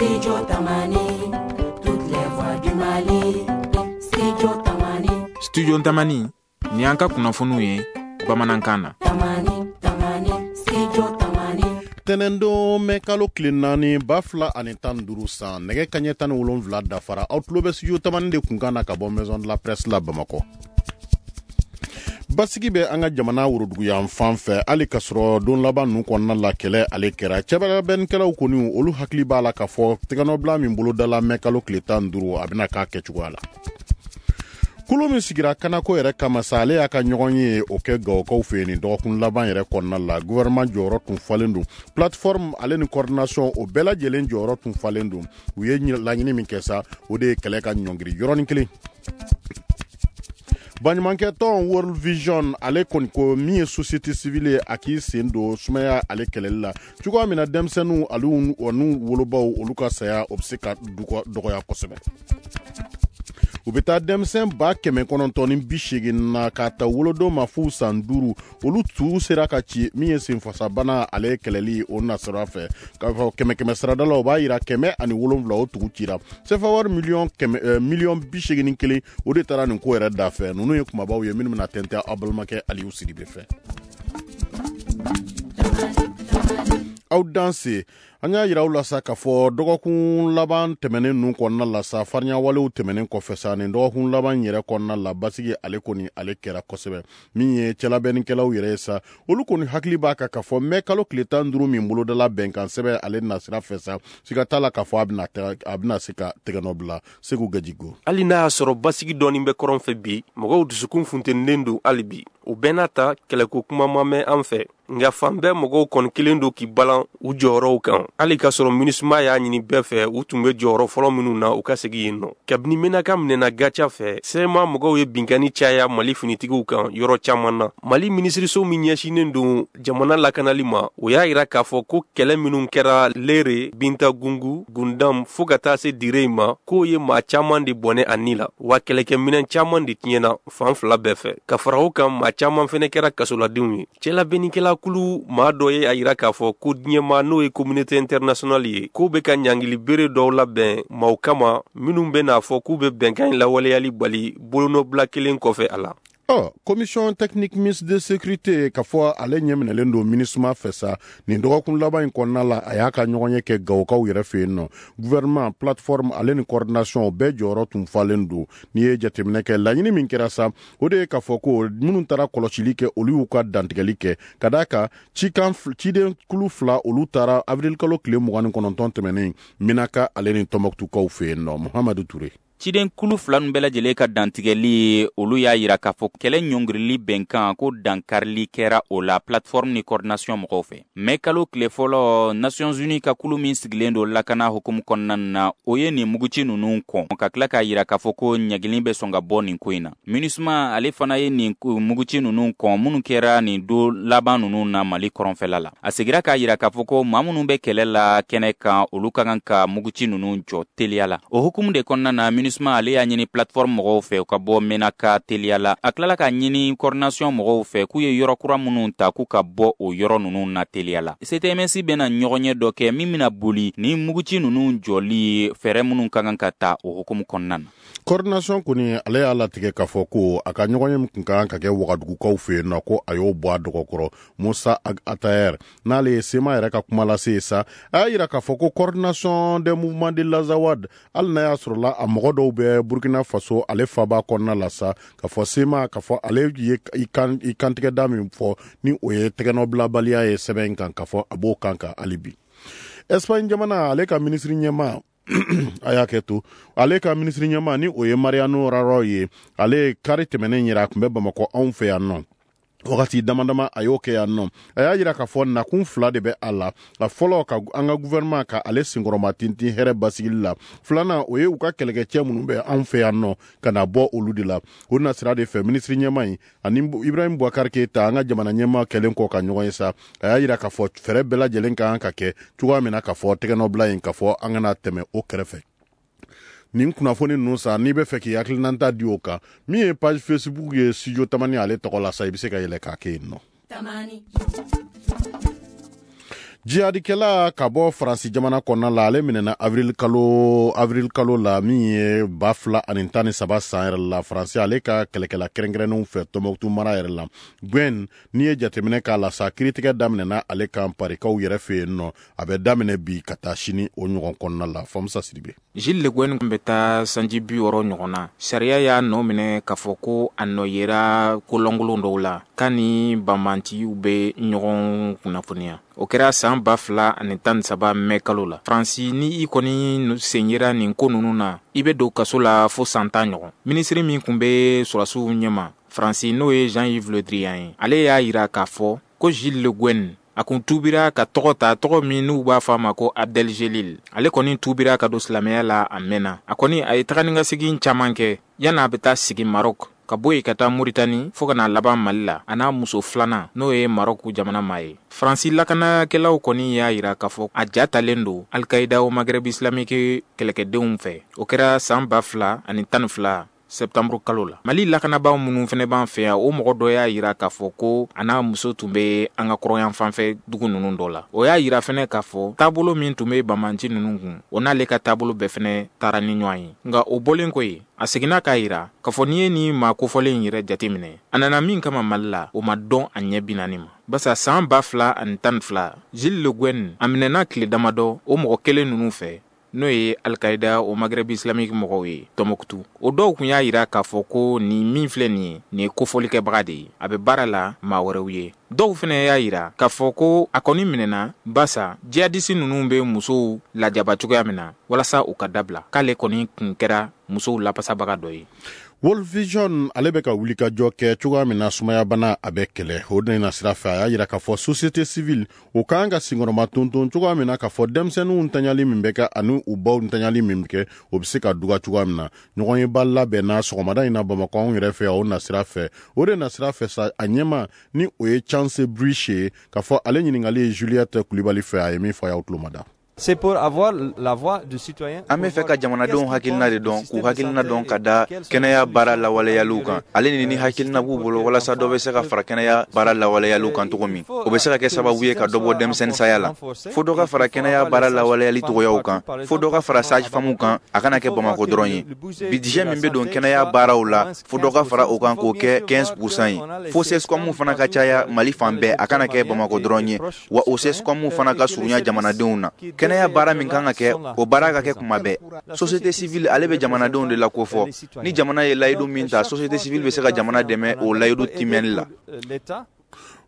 Studio Tamani, toutes les voix du Mali. Studio Tamani. Studio Tamani, ni an ka kunnafoniw ye bamanankan na. Tamani, Tamani, Studio Tamani. Tɛnɛndon mɛ kalo tile 4 2015 san, nɛgɛ kaɲɛ 17 dafara. Aw tulo bɛ Studio Tamani de kunkan na ka bɔ Maison de la Presse la Bamakɔ. Basigi bɛ an ka jamana woroduguyan fan fɛ, hali k'a sɔrɔ don laban ninnu kɔnɔna la kɛlɛ ale kɛra. Cɛbɛnnikɛlaw kɔni, olu hakili b'a la k'a fɔ tɛgɛnɔbila min bolodala mɛ kalo tile 15, a bɛna k'a kɛcogoya la. Kulu min sigira kanako yɛrɛ kama sa, ale y'a ka ɲɔgɔn ye o kɛ Gawokaw fɛ yen nin dɔgɔkun laban yɛrɛ kɔnɔna la. Gouvernement jɔyɔrɔ tun falen don, plateforme ale ni coordination, o bɛɛ lajɛlen jɔyɔrɔ tun falen don. U ye laɲini min kɛ sa, o de ye kɛlɛ ka ɲɔngiri yɔrɔnin kelen. Baɲumankɛ tɔn World Vision, ale kɔni ko min ye société civile ye, a k'i sen don sumaya ale kɛlɛli la cogoya min na denmisɛnninw alu n'u wolobaw, olu ka saya, o bɛ se ka dɔgɔya kosɛbɛ. U bɛ taa denmisɛn 980 na k'a ta wolodon ma f'u san 5, olu tu sera ka ci min ye senfasabana ale kɛlɛli o nasira fɛ. K'a fɔ kɛmɛ kɛmɛ sarada la, o b'a yira 107, o tugu cira. Sefa wari miliyɔn kɛmɛ, miliyɔn 81, o de taara nin ko yɛrɛ da fɛ. Ninnu ye kumabaw ye minnu bɛna tɛntɛn aw balimakɛ Aliyu Sidibe fɛ. Aw danse. An y'a yira aw la sa k'a fɔ dɔgɔkun laban tɛmɛnen ninnu kɔnɔna la sa, farinyawalew tɛmɛnen kɔfɛ sa, nin dɔgɔkun laban yɛrɛ kɔnɔna la, basigi ale kɔni ale kɛra kosɛbɛ. Min ye cɛlabɛnnikɛlaw yɛrɛ ye sa, olu kɔni hakili b'a kan k'a fɔ mɛ kalo tile 15 min bolodala bɛnkan sɛbɛn ale nasira fɛ sa, siga t'a la k'a fɔ a bɛna se ka tɛgɛnɔ bila. Segu Gajigo. Hali n'a y'a sɔrɔ basigi dɔɔni bɛ kɔrɔn fɛ bi, mɔgɔw dusukun funtenilen don hali bi. O bɛɛ n'a ta, kɛlɛko kuma ma mɛn an fɛ, nka fan bɛɛ mɔgɔw kɔni kelen don k'i balan u jɔyɔrɔw kan, hali k'a sɔrɔ MINUSMA y'a ɲini bɛɛ fɛ, u tun bɛ jɔyɔrɔ fɔlɔ minnu na, u ka segin yen nɔ. Kabini Menaka minɛna Gaca fɛ, CMA mɔgɔw ye binkanni caya Mali finitigiw kan yɔrɔ caman na. Mali minisiriso min ɲɛsinnen don jamana lakanali ma, o y'a yira k'a fɔ ko kɛlɛ minnu kɛra Lere, Bintagungu, Gundam fo ka taa se Dire ma, k'o ye maa caman de bɔnɛ a ni la, wa kɛlɛkɛminɛn caman de tiɲɛna fan fila bɛɛ fɛ. Ka fara o kan, maa caman fɛnɛ kɛra kasoladenw ye. Cɛlabɛnnikɛla kulu maa dɔ ye a yira k'a fɔ ko diɲɛma, n'o ye communauté internationale ye, k'o bɛ ka ɲangili bere dɔw labɛn maaw kama minnu bɛ n'a fɔ k'u bɛ bɛnkan in lawaleyali bali bolonɔbila kelen kɔfɛ a la. Ɔ, commission technique mixte de sécurité, k'a fɔ ale ɲɛminɛlen don MINUSMA fɛ sa, nin dɔgɔkun laban in kɔnɔna la, a y'a ka ɲɔgɔn ye kɛ Gawokaw yɛrɛ fɛ yen nɔ. Gouvernement, plateforme ale ni coordination, bɛɛ jɔyɔrɔ tun falen don. N'i ye jateminɛ kɛ, laɲini min kɛra sa, o de ye k'a fɔ ko minnu taara kɔlɔsili kɛ, olu y'u ka dantigɛli kɛ ka d'a kan cikan ciden kulu fila, olu taara avril kalo tile 29 tɛmɛnen Minaka ale ni Tɔnbɔkutukaw fɛ yen nɔ. Muhamadu Ture. Ciden kulu fila ninnu bɛɛ lajɛlen ka dantigɛli, olu y'a yira k'a fɔ kɛlɛ ɲɔngirili bɛnkan ko dankarili kɛra o la plateforme ni coordination mɔgɔw fɛ. Mɛ kalo tile 1, Nations Unies ka kulu min sigilen don lakana hukumu kɔnɔna na, o ye nin muguci ninnu kɔn, ka tila k'a yira k'a fɔ ko ɲagili bɛ sɔn ka bɔ nin ko in na. MINUSMA ale fana ye nin muguci ninnu kɔn minnu kɛra nin don laban ninnu na Mali kɔrɔnfɛla la. A segira k'a yira k'a fɔ ko maa minnu bɛ kɛlɛ la kɛnɛ kan, olu ka kan ka muguci ninnu jɔ teliya la. O hukumu de kɔnɔna na, MINUSMA ale y'a ɲini plateforme mɔgɔw fɛ u ka bɔ Menaka teliya la. A tilala k'a ɲini coordination mɔgɔw fɛ k'u ye yɔrɔ kura minnu ta, k'u ka bɔ o yɔrɔ ninnu na teliya la. CTMS bɛna ɲɔgɔnye dɔ kɛ min bɛna boli ni muguci ninnu jɔli fɛɛrɛ minnu ka kan ka ta o hukumu kɔnɔna na. Coordination kɔni, ale y'a latigɛ k'a fɔ ko a ka ɲɔgɔnye min kun ka kan ka kɛ Wagadugukaw fɛ yen nɔ, ko a y'o bɔ a dɔgɔkɔrɔ. Musa Atayer, n'ale ye CMA yɛrɛ ka kuma lase ye sa, a y'a yira k'a fɔ ko Coordination des mouvements de l'Azawad, hali n'a y'a sɔrɔla a mɔgɔ dɔw bɛ Burkina Faso ale faba kɔnɔna la sa, k'a fɔ CMA, k'a fɔ ale ye i kantigɛda min fɔ ni o ye tɛgɛnɔbilabaliya ye sɛbɛn in kan, k'a fɔ a b'o kan kan hali bi. Espagne jamana, ale ka minisiri ɲɛmaa, a y'a kɛ to, ale ka minisiri ɲɛmaa ni o ye Mariano Rajoy ye, ale kari tɛmɛnen yɛrɛ, a tun bɛ Bamakɔ anw fɛ yan nɔ wagati dama dama, a y'o kɛ yan nɔ. A y'a yira k'a fɔ nakun fila de bɛ a la. A fɔlɔ, ka an ka gouvernement ka ale senkɔrɔma tintin hɛrɛ basigili la. Filanan, o ye u ka kɛlɛkɛcɛ minnu bɛ anw fɛ yan nɔ, ka na bɔ olu de la. O nasira de fɛ, minisiri ɲɛmaa in ani Ibrahim Boubacar Keita, an ka jamana ɲɛmaa kɛlen kɔ ka ɲɔgɔn ye sa, a y'a yira k'a fɔ fɛɛrɛ bɛɛ lajɛlen ka kan ka kɛ cogoya min na k'a fɔ tɛgɛnɔbila in, k'a fɔ an kana tɛmɛ o kɛrɛfɛ. Nin kunnafoni ninnu sa, n'i bɛ fɛ k'i hakilinata di o kan, min ye page Facebook ye Studio Tamani ale tɔgɔ la sa, i bɛ se ka yɛlɛ k'a kɛ yen nɔ. Jihadikɛla ka bɔ Faransi jamana kɔnɔna la, ale minɛna avril kalo la min ye 2013 san yɛrɛ la, Faransi ale ka kɛlɛkɛla kɛrɛnkɛrɛnnenw fɛ Tɔnbɔkutu mara yɛrɛ la. Gwen, n'i ye jateminɛ k'a la sa, kiiritigɛ daminɛna ale kan Parikaw yɛrɛ fɛ yen nɔ. A bɛ daminɛ bi ka taa sini o ɲɔgɔn kɔnɔna la. Famusa Sidibe. Gilles Le Guen bɛ taa sanji 60 ɲɔgɔn na. Sariya y'a nɔ minɛ k'a fɔ ko a nɔ yera kolonkolon dɔw la k'a ni banbaanciw bɛ ɲɔgɔn kunnafoniya. O kɛra san 2013 mɛ kalo la. Faransi, ni i kɔni sen yera nin ko ninnu na, i bɛ don kaso la fo san 10 ɲɔgɔn. Minisiri min tun bɛ sɔrɔdasiw ɲɛma Faransi, n'o ye Jean-Yves Le Drian ye, ale y'a jira k'a fɔ ko Gilles Le Guen a kun tubira ka tɔgɔ ta, tɔgɔ min n'u b'a fɔ a ma ko Abdel Jelil. Ale kɔni tubira ka don silamɛya la a mɛnna. A kɔni a ye taga ni ka segin caman kɛ yan'a bɛ taa sigi Maroc, ka bɔ yen ka taa Moritani, fo ka n'a laban Mali la, a n'a muso filanan n'o ye Maroc jamana maa ye. Faransi lakanakɛlaw kɔni y'a jira k'a fɔ a ja talen don Al-Qaïda au Maghreb islamique kɛlɛkɛdenw fɛ. O kɛra san 2012 septembre kalo la. Mali lakanabaaw minnu fana b'an fɛ yan, o mɔgɔ dɔ y'a jira k'a fɔ ko a n'a muso tun bɛ an ka kɔrɔyan fanfɛ dugu ninnu dɔ la. O y'a jira fana k'a fɔ taabolo min tun bɛ banbanci ninnu kun, o n'ale ka taabolo bɛɛ fana taara ni ɲɔgɔn ye. Nka o bɔlen kɔ yen, a seginna k'a jira k'a fɔ n'i ye nin maa kofɔlen in yɛrɛ jateminɛ, a nana min kama Mali la, o ma dɔn a ɲɛ 40 ma. Barisa san 2012, Gilles Le Guen a minɛna tile damadɔ o mɔgɔ kelen ninnu fɛ, n'o ye Al-Qaïda au Maghreb islamique mɔgɔw ye Tɔnbɔkutu. O dɔw tun y'a jira k'a fɔ ko nin min filɛ nin ye, nin ye kofɔlikɛbaga de ye, a bɛ baara la maa wɛrɛw ye. Dɔw fana y'a jira k'a fɔ ko a kɔni minɛna barisa jihadisi ninnu bɛ musow lajaba cogoya min na walasa u ka dabila, k'ale kɔni tun kɛra musow lapasabaga dɔ ye. World Vision ale bɛ ka wulikajɔ kɛ cogoya min na sumayabana a bɛ kɛlɛ, o de na sira fɛ a y'a jira k'a fɔ société civile o kan ka senkɔrɔma tonton cogoya min na k'a fɔ denmisɛnninw ntanyali min bɛ kɛ ani u baw ntanyali min bɛ kɛ, o bɛ se ka duga cogoya min na. Ɲɔgɔnyeba labɛnna sɔgɔmada in na Bamakɔ anw yɛrɛ fɛ o na sira fɛ. O de na sira fɛ sa, a ɲɛma ni o ye Chance Briche ye, k'a fɔ ale ɲininkali ye Juliette Kulibali fɛ, a ye min fɔ a y'aw tulo mada. C'est pour avoir la voix du citoyen. An bɛ fɛ ka jamanadenw hakilina de dɔn, k'u hakilina dɔn ka da kɛnɛya baara lawaleyaliw kan. Ale ni hakilina b'u bolo walasa dɔ bɛ se ka fara kɛnɛya baara lawaleyaliw kan cogo min. O bɛ se ka kɛ sababu ye ka dɔ bɔ denmisɛnnin saya la. Fo dɔ ka fara kɛnɛya baara lawaleyali cogoyaw kan, fo dɔ ka fara sage-femme kan, a kana kɛ Bamakɔ dɔrɔn ye. Budget min bɛ don kɛnɛya baaraw la, fo dɔ ka fara o kan k'o kɛ 15% ye. Fo CSCOM fana ka caya Mali fan bɛɛ, a kana kɛ Bamakɔ dɔrɔn ye. Wa o CSCOM fana ka surunya jamanadenw na. Kɛnɛya baara min kan ka kɛ, o baara ka kɛ kuma bɛɛ. Société civile ale bɛ jamanadenw de la kofɔ. Ni jamana ye layidu min ta, société civile bɛ se ka jamana dɛmɛ o layidu timɛli la.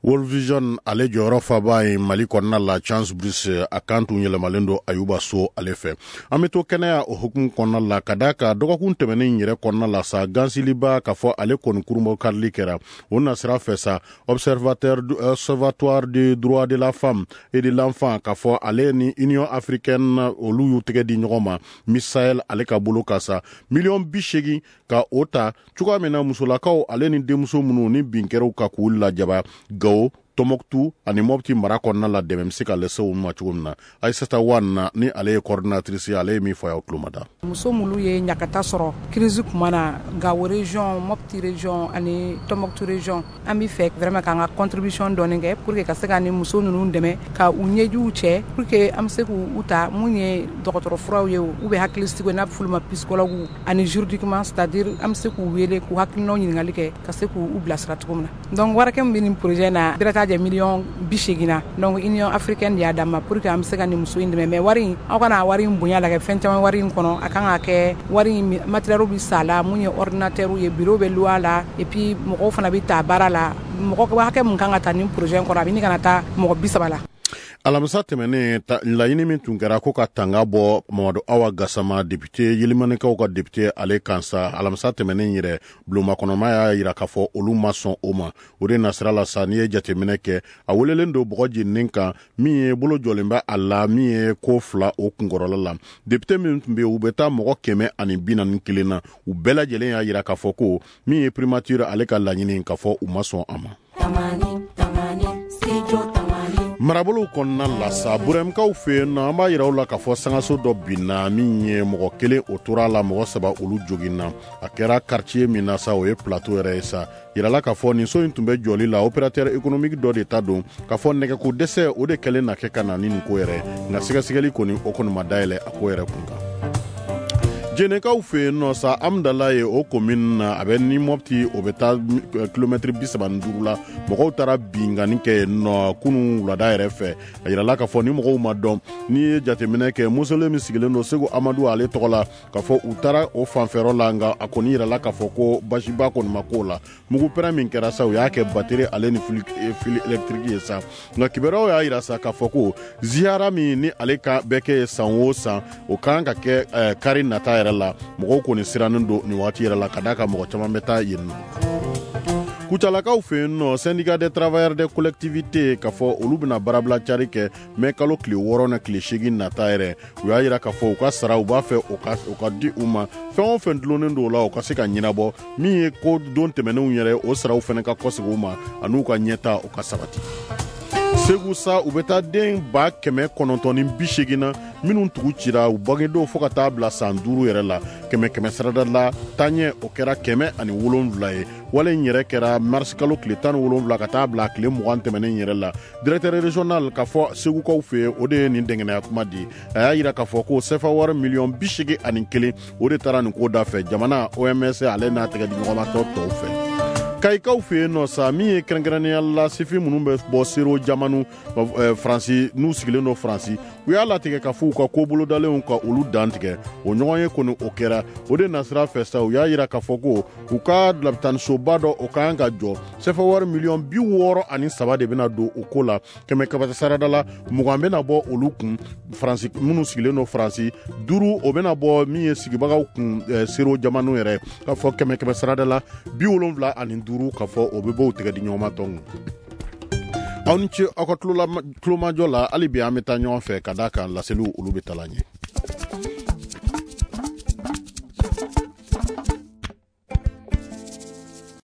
World Vision ale jɔyɔrɔ faba ye Mali kɔnɔna la, Chance Brice a kan tun yɛlɛmalen don Ayuba So ale fɛ. An bɛ to kɛnɛya o hukumu kɔnɔna la, ka d'a kan dɔgɔkun tɛmɛnen yɛrɛ kɔnɔna la sa, gansiliba k'a fɔ ale kɔni kurunbɔ karili kɛra. O nasira fɛ sa, Observatoire du droit de la femme et de l'enfant k'a fɔ ale ni Union africaine olu y'u tɛgɛ di ɲɔgɔn ma Miss Sahel ale ka bolo kan sa, 80 millions ka o ta cogoya min na musolakaw ale ni denmuso minnu ni bin kɛra u kan k'u lajaba Gawo, Tɔnbɔkutu ani Mɔpti mara kɔnɔna la, dɛmɛ bɛ se ka lase u ma cogo min na. Aïssata Wane ni ale ye coordinatrice ye, ale ye min fɔ a y'aw tulo ma da. Muso minnu ye ɲagata sɔrɔ crise kuma na Gawo région, Mopti région ani Tombouctou région, an bɛ fɛ vraiment k'an ka contribution dɔɔni kɛ pour que ka se ka ni muso ninnu dɛmɛ ka u ɲɛjiw cɛ, pour que an bɛ se k'u ta mun ye dɔgɔtɔrɔ furaw ye ou bien hakilisigi n'a bɛ f'olu ma psychologue, ani juridiquement, c'est à dire an bɛ se k'u wele k'u hakilinaw ɲininkali kɛ ka se k'u bilasira cogo min na. Donc warakɛ min bɛ nin projet na, bɛrɛ t'a jɛ 80 millions na. Donc Union africaine de y'a d'an ma pour que an bɛ se ka nin muso in dɛmɛ. Mais wari in, aw kana wari in bonya la kɛ fɛn caman wari in kɔnɔ. A kan ka kɛ wari in matériel bɛ san la, mun ye ordinateur ye, bureau bɛ louer a la, et puis mɔgɔw fana bɛ ta baara la. Mɔgɔ hakɛ mun kan ka ta nin projet in kɔnɔ, a bɛ ɲini ka na taa mɔgɔ 30 la. Alamisa tɛmɛnen, laɲini min tun kɛra ko ka tanga bɔ Mamadu Awa Gasama, député, Yelimanikaw ka député, ale kan sa, alamisa tɛmɛnen yɛrɛ bulonmakɔnɔma y'a yira k'a fɔ olu ma sɔn o ma. O de nasira la sa, n'i ye jateminɛ kɛ, a welelen don bɔgɔ jeninen kan min ye bolo jɔlen bɛ a la, min ye ko fila o kunkɔrɔla la. Député min tun bɛ yen, u bɛ taa mɔgɔ 141 na, u bɛɛ lajɛlen y'a yira k'a fɔ ko min ye primature ale ka laɲini, k'a fɔ u ma sɔn a ma. Tamani, tamani, studio tamani. Marabolow kɔnɔna la sa, Burɛmkaw fɛ yen nɔ, an b'a yira u la k'a fɔ sangaso dɔ binna, min ye mɔgɔ kelen o tora a la, mɔgɔ saba olu joginna. A kɛra quartier min na sa, o ye plateau yɛrɛ ye sa. Yirala k'a fɔ nin so in tun bɛ jɔli la, opérateur économique dɔ de ta don, k'a fɔ nɛgɛko dɛsɛ o de kɛlen na kɛ ka na ni nin ko yɛrɛ. Nka sɛgɛsɛgɛli kɔni o kɔni ma dayɛlɛ a ko yɛrɛ kun kan. Jenekaw fɛ yen nɔ sa, Amdala ye o commune na, a bɛ ni Mɔpti o bɛ taa kilomɛtiri 35 la. Mɔgɔw taara binkanni kɛ yen nɔ kunun wulada yɛrɛ fɛ. A yirala k'a fɔ ni mɔgɔw ma dɔn, n'i ye jateminɛ kɛ, mausolée min sigilen don Segu Amadu ale tɔgɔ la, k'a fɔ u taara o fanfɛyɔrɔ la, nka a kɔni yirala k'a fɔ ko basiba kɔni ma k'o la. Mugupɛrɛn min kɛra sa, u y'a kɛ batterie ale ni fil électrique ye sa. Nka kibaruyaw y'a yira sa k'a fɔ ko ziyara min ni ale ka bɛ kɛ san o san, o kan ka kɛ kari nata yɛrɛ la. Mɔgɔw kɔni sirannen don nin waati yɛrɛ la, ka d'a kan mɔgɔ caman bɛ taa yen nɔ. Kucalakaw fɛ yen nɔ, syndicat des travailleurs des collectivités, k'a fɔ olu bɛna baarabila cari kɛ mɛ kalo tile 6 na tile 8 nata yɛrɛ. U y'a yira k'a fɔ u ka sara u b'a fɛ o ka di u ma, fɛn o fɛn dulonnen don o la o ka se ka ɲɛnabɔ, min ye ko don tɛmɛnenw yɛrɛ o saraw fana ka kɔsegin u ma, an'u ka ɲɛta o ka sabati. Segu sa, u bɛ taa den 980 na minnu tugu cira u bangedenw fo ka taa bila san 5 yɛrɛ la. 100 sarada la taaɲɛ o kɛra 107 ye. Wale in yɛrɛ kɛra mars kalo tile 17 ka taa bila tile 20 tɛmɛnen yɛrɛ la. Directeur régional k'a fɔ Segukaw fɛ yen, o de ye nin dɛngɛnɛya kuma di. A y'a yira k'a fɔ ko sefa wari miliyɔn 81 o de taara nin ko da fɛ jamana OMS ale n'a tɛgɛ di ɲɔgɔnmatɔ tɔw fɛ. Kayikaw fɛ yen nɔ sa, min ye kɛrɛnkɛrɛnnenya la sifin minnu bɛ bɔ sero jamanu Faransi n'u sigilen don Faransi, u y'a latigɛ ka fɔ u ka ko bolodalenw ka olu dantigɛ. O ɲɔgɔn ye kɔni o kɛra o de nasira fɛ sa. U y'a yira k'a fɔ ko u ka lapitanisoba dɔ o ka kan ka jɔ, sefa wari miliyɔn 63 de bɛna don o ko la. 100 sarada la 20 bɛna bɔ olu kun Faransi minnu sigilen don Faransi, 5 o bɛna bɔ min ye sigibagaw kun sero jamanu yɛrɛ, k'a fɔ 100 sarada la 75 k'a fɔ o bɛ bɔ u tɛgɛ di ɲɔgɔn ma tɔn. Aw ni ce aw ka tulomajɔ la. Hali bi an bɛ taa ɲɔgɔn fɛ ka d'a kan laseliw olu bɛ taa ɲɛ.